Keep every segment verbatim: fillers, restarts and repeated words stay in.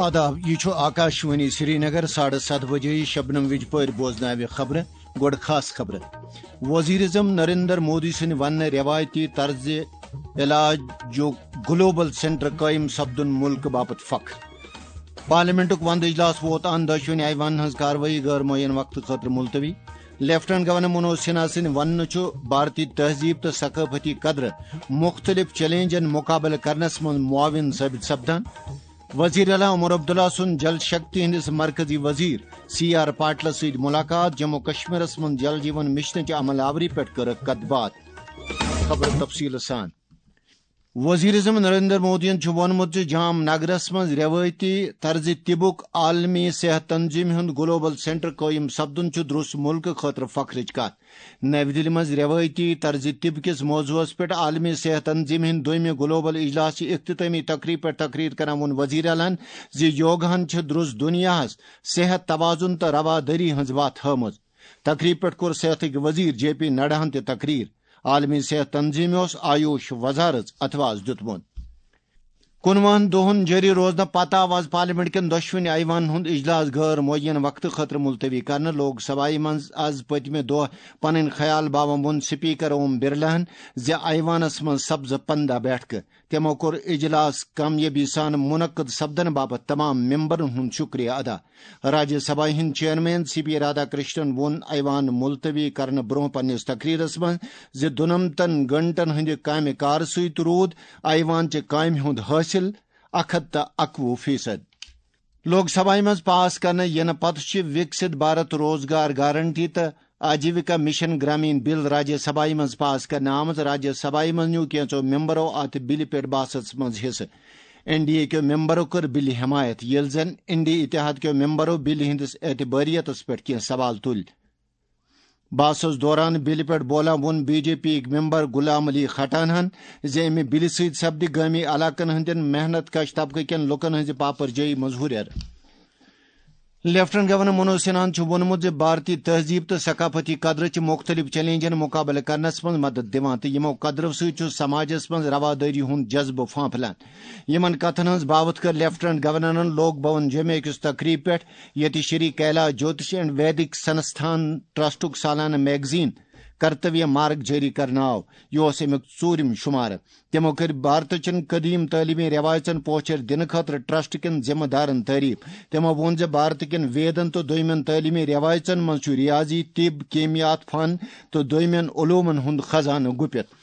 آداب، یہِ چھُ آکاشوانی سرینگر۔ ساڑٕ ستھ بجے شبنم وِجہِ پٲرۍ بوزناوِ خبرٕ۔ گۄڈٕ خاص خبرٕ۔ وزیر اعظم نریندر مودی سٕنٛدِ وننہٕ روایتی طرزِ علاج جو گلوبل سینٹر قٲیِم سپدُن مُلکہٕ باپتھ فخر۔ پارلیمنٹُک وندٕ اجلاس ووت اَن، دۄشوٕنی ایوانن ہٕنٛز کاروٲیی غٲر معین وقتہٕ خٲطرٕ ملتوی۔ لیفٹیننٹ گورنر منوج سنہا سٕنٛدِ وننہٕ چھُ بھارتی تہذیب تہٕ ثقافتی قدرٕ مُختٔلِف چیلنجن مُقابلہٕ کرنس منٛز معاون ثٲبت سپدان۔ وزیر اعلیٰ عمر عبداللہ سُنٛد جل شکتی ہٕنٛدِس مرکزی وزیر سی آر پاٹلس سۭتۍ ملاقات، جموں کشمیرس منٛز جل جیون مشنٕچ عمل آوری پٮ۪ٹھ کٔرٕکھ کتھ باتھ۔ خبرٕ تفصیٖل سان۔ وزیر اعظم نریندر مودیَن چھُ ووٚنمُت زِ جام نگرس منٛز روایتی طرزِ طبُک عالمی صحت تنظیمہِ ہُنٛد گلوبل سینٹر قٲیِم سپدُن چھُ درُس مُلکہٕ خٲطرٕ فخرٕچ کتھ۔ نَوِ دِلہِ منٛز روایتی طرزِ طب کِس موضوعس پٮ۪ٹھ عالمی صحت تنظیمہِ ہٕنٛدِ دوٚیمہِ گلوبل اجلاسٕچ اختتٲمی تقریب پٮ۪ٹھ تقریر کران ووٚن وزیر اعلیٰ ہَن زِ یوگاہن چھِ درُس دُنیاہس صحت توازن تہٕ روادٲری ہٕنٛز وتھ ہٲومٕژ۔ تقریب پٮ۪ٹھ کوٚر صحتٕکۍ وزیر جے پی نڈاہن تہِ تقریر۔ عالمی صحت تنظیمہِ اوس آیوش وزارت اتھواز دیُتمُت۔ کُنوُہن دۄہن جٲری روزنہٕ پتہٕ آو آز پارلیمنٹ کٮ۪ن دۄشوٕنی ایوانن ہُنٛد اجلاس غٲر معین وقتہٕ خٲطرٕ ملتوی کرنہٕ۔ لوک سبھایہ منٛز آز پٔتمہِ دۄہ پنٕنۍ خیال باوان ووٚن سپیکر اوم برلاہن زِ ایوانس منٛز سپزٕ پندہ بیٹھکہٕ۔ تِمو کوٚر اجلاس کامیٲبی سان منعقد سپدنہٕ باپتھ تمام ممبرن ہُنٛد شکریہ ادا۔ راجیہ سبھا ہٕنٛدۍ chairman C P Radhakrishnan ووٚن ایوان ملتوی کرنہٕ برونٛہہ پننِس تقریرس منٛز زِ دُنمتن گھنٹن ہٕنٛدِ کامہِ کار سۭتۍ روٗد ایوان چہِ کامہِ ہُنٛد حٲصِل اکھ ہتھ تہٕ اکوُہ فیصد۔ لوک سبھایہ منٛز پاس کرنہٕ یِنہٕ پتہٕ چھِ وِکسِت بھارت روزگار گارنٹی تہٕ آجیوکا مشن گرامین بل راجیہ سبھایہ منٛز پاس کرنہٕ آمٕژ۔ راجیہ سبھایہ منٛز نیوٗ کینٛژو ممبرو اتھ بلہِ پٮ۪ٹھ بحثس منٛز حصہٕ۔ این ڈی اے کیو ممبرو کٔر بلہِ حمایت، ییٚلہِ زن انڈی اتحاد کیو ممبرو بلہِ ہٕنٛدِس اعتبٲریتس پٮ۪ٹھ کینٛہہ سوال تُلۍ۔ بحثس دوران بلہِ پٮ۪ٹھ بولان ووٚن بی جے پی یِکۍ ممبر غلام علی کھٹانہن زِ امہِ بلہِ سۭتۍ سپدِ گٲمی علاقن ہٕنٛدٮ۪ن محنت کش طبقہٕ کٮ۪ن لوٗکن ہٕنٛزِ پاپرجٲیی منٛز ہُرٮ۪ر۔ لیفٹیننٹ گورنر منوج سنہاہن چھُ ووٚنمُت زِ بھارتی تہذیب تہٕ ثقافتی قدرٕ چھِ مُختٔلِف چیلنجن مُقابلہٕ کرنس منٛز مدد دِوان تہٕ یِمو قدرو سۭتۍ چھُ سماجس منٛز روادٲری ہُنٛد جذبہٕ پھانپھلان۔ یِمن کتھن ہٕنٛز باوتھ کٔر لیفٹیننٹ گورنرن لوک بھون جمعہ کِس تقریب پٮ۪ٹھ، ییٚتہِ شری کیلاش جوتش اینڈ ویدک سنستھان ٹرسٹُک سالانہٕ میگزین کرتویہ مارگ جٲری کرنہٕ آو۔ یہِ اوس امیُک ژوٗرِم شُمارٕ۔ تِمو کٔرۍ بھارتہٕ چٮ۪ن قدیم تعلیمی رٮ۪وایژن پوچھر دِنہٕ خٲطرٕ ٹرسٹ کٮ۪ن ذمہٕ دارن تعریف۔ تِمو ووٚن زِ بھارتہٕ کٮ۪ن ویدن تہٕ دوٚیمٮ۪ن تعلیمی رٮ۪وایژن منٛز چھُ ریاضی، طب، کیمیات، فن تہٕ دوٚیمٮ۪ن علومن ہُنٛد خزانہٕ گُپِتھ۔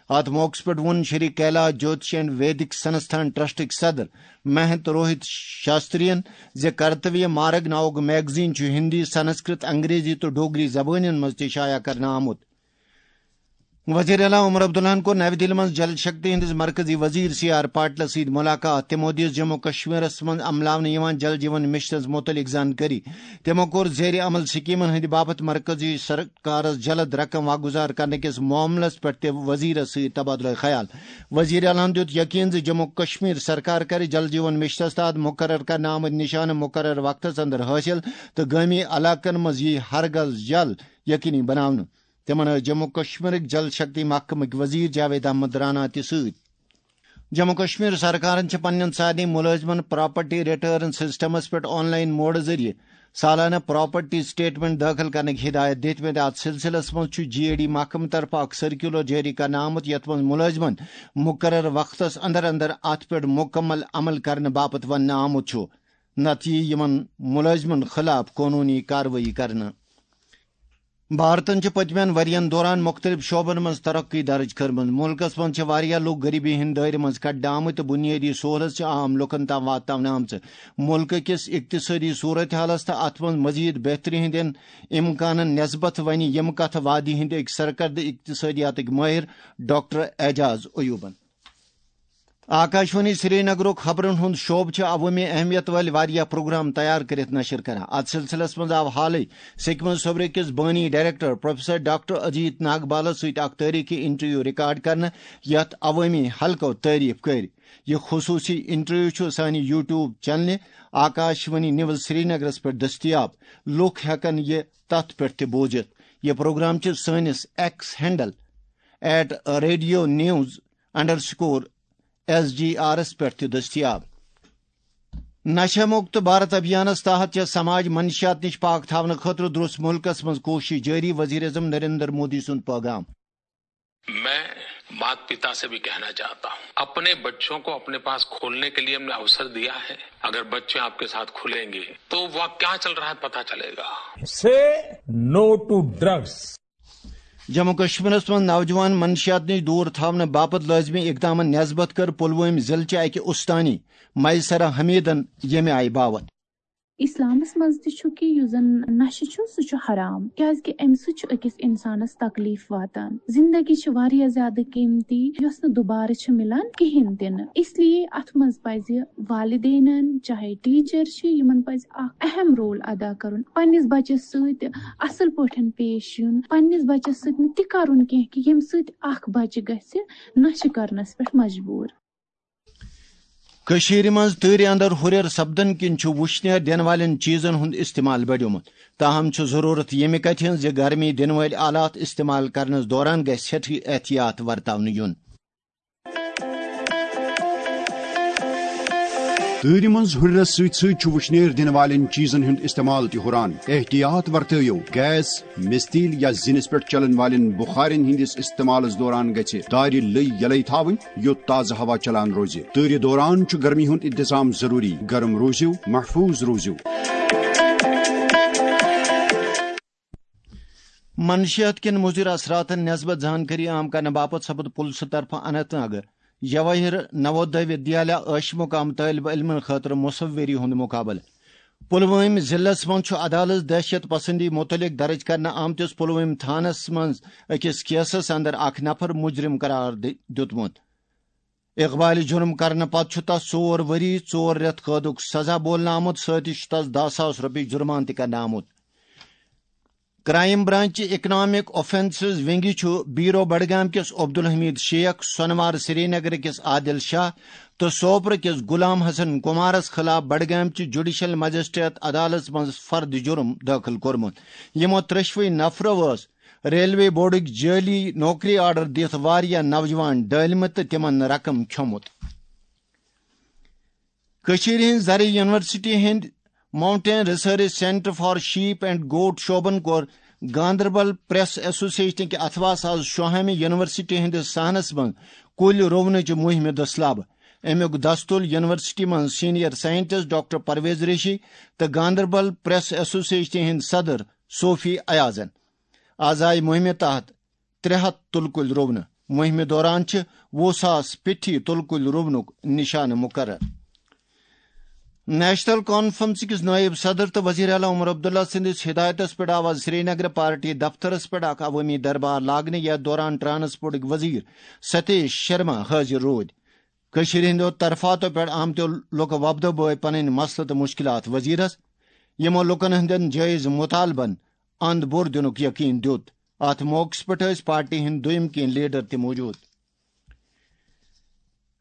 اتھ موقعس پٮ۪ٹھ ووٚن شری کیلاش جوتش اینڈ ویدک سنستھان ٹرسٹٕکۍ صدر مہنت روہت شاسترین زِ کرتویہ مارگ ناوُک میگزین چھُ ہندی، سنسکرت، انگریزی تہٕ ڈوگری زبٲنٮ۪ن منٛز تہِ شایع کرنہٕ آمُت۔ وزیر اعلیٰ عمر عبداللہن کوٚر نَوِ دِلہِ منٛز جل شکتی ہٕنٛدِس مرکزی وزیر سی آر پاٹلس سۭتۍ ملاقات۔ تِمو دِژ جموں کشمیرس منٛز عملاونہٕ یِوان جل جیون مشنس مُتعلق زانکٲری۔ تِمو کوٚر زیر عمل سکیمن ہٕنٛدِ باپتھ مرکزی سرکارس جلد رقم واگذار کرنہٕ کِس معاملس پٮ۪ٹھ تہِ وزیرس سۭتۍ تبادلہ خیال۔ وزیر اعلیٰ ہن دیُت یقین زِ جموں کشمیر سرکار کرِ جل جیون مشنس تحت مقرر کرنہٕ آمٕتۍ نشانہٕ مقرر وقتس اندر حٲصِل تہٕ گٲمی علاقن منٛز یِیہِ ہرگز جل یقینی بناونہٕ۔ تِمن ٲسۍ جموں کشمیرٕکۍ جل شکتی محکمٕکۍ وزیر جاوید احمد رانا تہِ سۭتۍ۔ جموں کشمیر سرکارن چھِ پننٮ۪ن سارنٕے مُلٲزمن پراپرٹی ریٹرن سسٹمس پٮ۪ٹھ آن لائن موڈٕ ذٔریعہٕ سالانہٕ پراپرٹی سٹیٹمنٹ دٲخل کرنٕکۍ ہدایت دِتمٕتۍ۔ اتھ سلسلس منٛز چھُ جی اے ڈی محکمہٕ طرفہٕ اکھ سرکیولر جٲری کرنہٕ آمُت، یتھ منٛز مُلٲزمن مقرر وقتس اندر اندر اتھ پٮ۪ٹھ مکمل عمل کرنہٕ باپتھ وننہٕ آمُت چھُ، نتہٕ یِیہِ یِمن مُلٲزمن خلاف قونوٗنی کاروٲیی کرنہٕ۔ بھارتن چھِ پٔتمٮ۪ن ؤرین دوران مُختٔلِف شعبن منٛز ترقی درٕج کٔرمٕژ۔ مُلکس منٛز چھِ واریاہ لوٗکھ غریبی ہٕنٛدۍ دٲیرٕ منٛز کڑنہٕ آمٕتۍ تہٕ بُنیٲدی سہوٗلژ چھِ عام لوٗکن تام واتناونہٕ آمژٕ۔ مُلکہٕ کِس اقتصٲدی صورت حالس تہٕ اتھ منٛز مزید بہتری ہٕنٛدٮ۪ن امکانن نسبت ونہِ یِم کتھٕ وادی ہٕنٛدۍ أکۍ سرکردٕ اقتصٲدیاتٕکۍ مٲہِر ڈاکٹر اعجاز ایوبن۔ آکاشوانی سرینگرُک خبرن ہُنٛد شعبہٕ چھُ عوٲمی اہمیت وٲلۍ واریاہ پروگرام تیار کٔرِتھ نشر کران۔ اتھ سلسلس منٛز آو حالٕے سکمز صوبرٕ کِس بٲنی ڈائریکٹر پروفیسر ڈاکٹر اجیت ناگبالس سۭتۍ اکھ تٲریخی انٹرویو ریکارڈ کرنہٕ، یتھ عوٲمی حلقو تعریف کٔرۍ۔ یہِ خصوصی انٹرویو چھُ سانہِ یوٹیوب چینلہِ آکاشوانی نیوز سرینگرس پٮ۪ٹھ دٔستیاب۔ لوٗکھ ہٮ۪کن یہِ تتھ پٮ۪ٹھ تہِ بوٗزِتھ۔ یہِ پروگرام چھُ سٲنِس X handle at radio news underscore S G آرس پٮ۪ٹھ تہِ دٔستیاب۔ نشہ مکت بھارت ابھیانس تحت چھےٚ سماج منشیات نش پاک تھاونہٕ خٲطرٕ درٛوس ملکس منٛز کوٗشش جٲری، وزیر اعظم نریندر مودی سُنٛد پیغام۔ मैं माता पिता से भी कहना चाहता हूँ, अपने बच्चों को अपने पास खोलने के लिए हमने अवसर दिया है। अगर बच्चे आपके साथ खुलेंगे तो वहाँ क्या चल रहा है पता चलेगा। Say no to drugs. Jammu کشمیرس منٛز نوجوان منشیات نِش دوٗر تھاونہٕ باپتھ لٲزمی اقدامن نسبت کٔر پلوٲمۍ ضلعہٕ چہِ اکہِ استانی میسرہ حمیدن ییٚمہِ آیہِ باوتھ۔ اسلامس منٛز تہِ چھُ کہِ یُس زن نشہٕ چھُ سُہ چھُ حرام، کیازِ کہِ امہِ سۭتۍ چھُ أکِس انسانس تکلیف واتان۔ زندگی چھِ واریاہ زیادٕ قیمتی یۄس نہٕ دُبارٕ چھِ مِلان کِہینۍ تہِ نہٕ۔ اس لیے اتھ منٛز پزِ والدینن، چاہے ٹیچر چھِ، یِمن پزِ اکھ اہم رول ادا کرُن، پننِس بچس سۭتۍ اصل پٲٹھۍ پیش یُن، پننِس بچس سۭتۍ نہٕ تہِ کرُن کینٛہہ کہِ ییٚمہِ سۭتۍ اکھ بچہِ گژھِ نشہٕ کرنس پٮ۪ٹھ مجبوٗر۔ کٔشیٖرِ منٛز تۭرِ اندر ہُرٮ۪ر سپدن کِنۍ چھُ وُشنیر دِنہٕ والٮ۪ن چیٖزن ہُنٛد استعمال بڑیومُت۔ تاہم چھُ ضروٗرت ییٚمہِ کتھِ ہٕنٛز زِ گرمی دِنہٕ وٲلۍ آلات استعمال کرنس دوران گژھِ سٮ۪ٹھٕے احتیاط ورتاونہٕ یُن۔ تۭرِ منٛز ہُرٮ۪رس سۭتۍ سۭتۍ چھُ وُشنیر دِنہٕ والٮ۪ن چیٖزن ہُنٛد استعمال تہِ ہُران۔ احتیاط ورتٲیِو، گیس، مِستیٖل یا زِنِس پٮ۪ٹھ چلن والٮ۪ن بُخارٮ۪ن ہٕنٛدِس استعمالس دوران گژھِ دارِ لٔے یلے تھاوٕنۍ، یوٚت تازٕ ہوا چلان روزِ۔ تۭرِ دوران چھُ گرمی ہُنٛد انتظام ضروٗری۔ گرم روٗزِو، محفوٗظ روٗزِو۔ منشیات کٮ۪ن مُضِر اثراتن نسبت زانکٲری عام کرنہٕ باپتھ سپُد پُلسہٕ طرفہٕ اننت ناگہٕ جواہر نوودے ودیالیا ٲشمُقام طٲلبہِ علمن خٲطرٕ مصوری ہُنٛد مُقابلہٕ۔ پُلوٲمۍ ضلعس منٛز چھُ عدالت دہشت پسندی مُتعلق درٕج کرنہٕ آمتِس پُلوٲمۍ تھانس منٛز أکِس کیسس اندر اکھ نفر مُجرِم قرار دِ- دیُتمُت۔ اقبالہِ جُرم کرنہٕ پتہٕ چھُ تس ژور ؤری، ژور رٮ۪تھ قٲدُک سزا بولنہٕ آمُت، سۭتۍ چھُ تس دَہ ساس رۄپیہِ جُرمان تہِ کرنہٕ آمُت۔ کرائم برانچ اکنامک آفنسز ونگہِ چھُ بیرو بڈگام کِس عبدالحمید شیخ، سونوار سرینگر کِس عادل شاہ تہٕ سوپرٕ کِس غلام حسن کمارس خلاف بڈگام چہِ جوڈیشل مجسٹریٹ عدالتس منٛز فرد جُرم دٲخل کوٚرمُت۔ یِمو ترٛیٚشوٕے نفرو ٲس ریلوے بورڈٕکۍ جعٲلی نوکری آرڈر دِتھ واریاہ نوجوان ڈٲلمٕتۍ تہٕ تِمن رقم کھیوٚمُت۔ کٔشیٖرِ ہٕنٛز زرعی یونیورسٹی ہٕنٛدۍ Mountain Research Centre for Sheep and Goat شعبن کوٚر گاندربل پریس ایسوسیشنٕکہِ اتھواہس آز شوہامہِ یونیورسٹی ہٕنٛدِس صحنس منٛز کُلۍ رُونٕچہِ مُہِمہِ دٔسلابہٕ۔ امیُک دستُل یونیورسٹی منٛز senior scientist doctor Parvez Reshi تہٕ گاندربل پریس ایسوسیشنہِ ہٕنٛدۍ صدر صوفی ایازن۔ از آیہِ مُہِمہِ تحت ترٛےٚ ہتھ تُلہٕ کُلۍ رُونہٕ۔ مُہِمہِ دوران چھِ وُہ ساس پیٹھی تُلہٕ کُلۍ رُونُک نشانہٕ مُقرر۔ نیشنل کانفرنس کِس نٲیِب صدر تہٕ وزیر اعلیٰ عمر عبداللہ سٕنٛدِس ہدایتس پٮ۪ٹھ آو آز سرینگر پارٹی دفترس پٮ۪ٹھ اکھ عوٲمی دربار لاگنہٕ، یتھ دوران ٹرانسپورٹٕکۍ وزیر ستیش شرما حٲضِر روٗدۍ۔ کٔشیٖرِ ہٕنٛدیو طرفاتو پٮ۪ٹھ آمتیو لُکہٕ وۄپدو بٲوۍ پنٕنۍ مسلہٕ تہٕ مُشکلات وزیرس، یِمو لُکن ہٕنٛدٮ۪ن جٲیز مُطالبن اند بوٚر دِنُک یقین دیُت۔ اتھ موقعس پٮ۪ٹھ ٲسۍ پارٹی ہٕنٛدۍ دوٚیِم کینٛہہ لیڈر تہِ موجود۔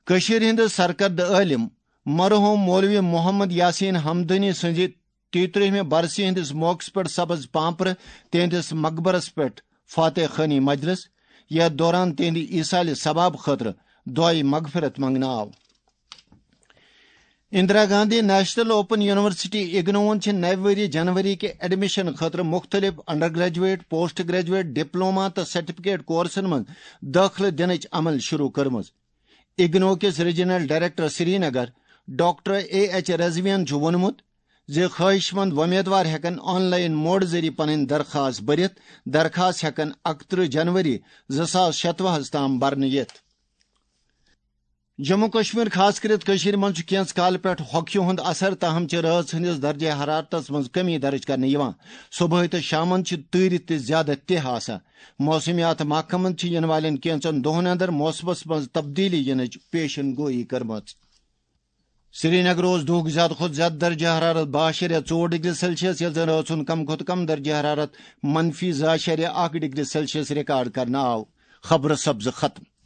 کٔشیٖرِ ہٕنٛدِ سرکردٕ عٲلِم مرحوم مولوی محمد یاسین حمدانی سٕنٛزِ تیترٕہمہِ برسی ہٕنٛدِس موقعس پٮ۪ٹھ سپٕز پانپرٕ تِہنٛدِس مقبرس پٮ۪ٹھ فاتح خٲنی مجلس، یتھ دوران تِہنٛدِ ایصالِ ثواب خٲطرٕ دعایہِ مغفرت منٛگنہٕ آو۔ Indira Gandhi national open university اگنوون چھِ نوِ ؤری جنوری کہِ ایڈمیشن خٲطرٕ مُختٔلِف under graduate, post graduate, diploma تہٕ سرٹیفکیٹ کورسن منٛز دٲخلہٕ دِنٕچ عمل شروع کٔرمٕژ۔ اگنو کِس regional director Srinagar doctor A H رضویَن چھُ ووٚنمُت زِ خٲہِش مند وۄمیدوار ہٮ۪کَن آن لائن موڈ ذٔریعہٕ پنٕنۍ درخاست بٔرِتھ۔ درخاست ہٮ۪کَن اَکترٕہ جنوری زٕ ساس شتوُہَس تام بھرنہٕ یِتھ۔ جموں کشمیر، خاص کٔرِتھ کٔشیٖرِ منٛز چھُ کینٛژھ کالہٕ پٮ۪ٹھ ہۄکھِ ہُنٛد اثر، تاہم چھِ رٲژ ہٕنٛدِس درجہ حرارتس منٛز کمی درج کرنہٕ یِوان۔ صبحٲے تہٕ شامن چھِ تۭرِ تہِ زیادٕ تہِ آسان۔ موسمیات محکمن چھِ یِنہٕ والٮ۪ن کینٛژن دۄہن اندر موسمس منٛز تبدیلی یِنٕچ پیشن گویی کٔرمٕژ۔ سرینگر اوس دُہُک زیادٕ کھۄتہٕ زیادٕ درجہ حرارت باہ اَشاریہ ژور ڈگری سیلسیس، ییٚلہِ زن رٲژ ہُنٛد کم کھۄتہٕ کم درجہ حرارت منفی زٕ اَشاریہ اکھ ڈگری سیلسیس ریکارڈ کرنہٕ آو۔ خبرٕ سپزٕ ختم۔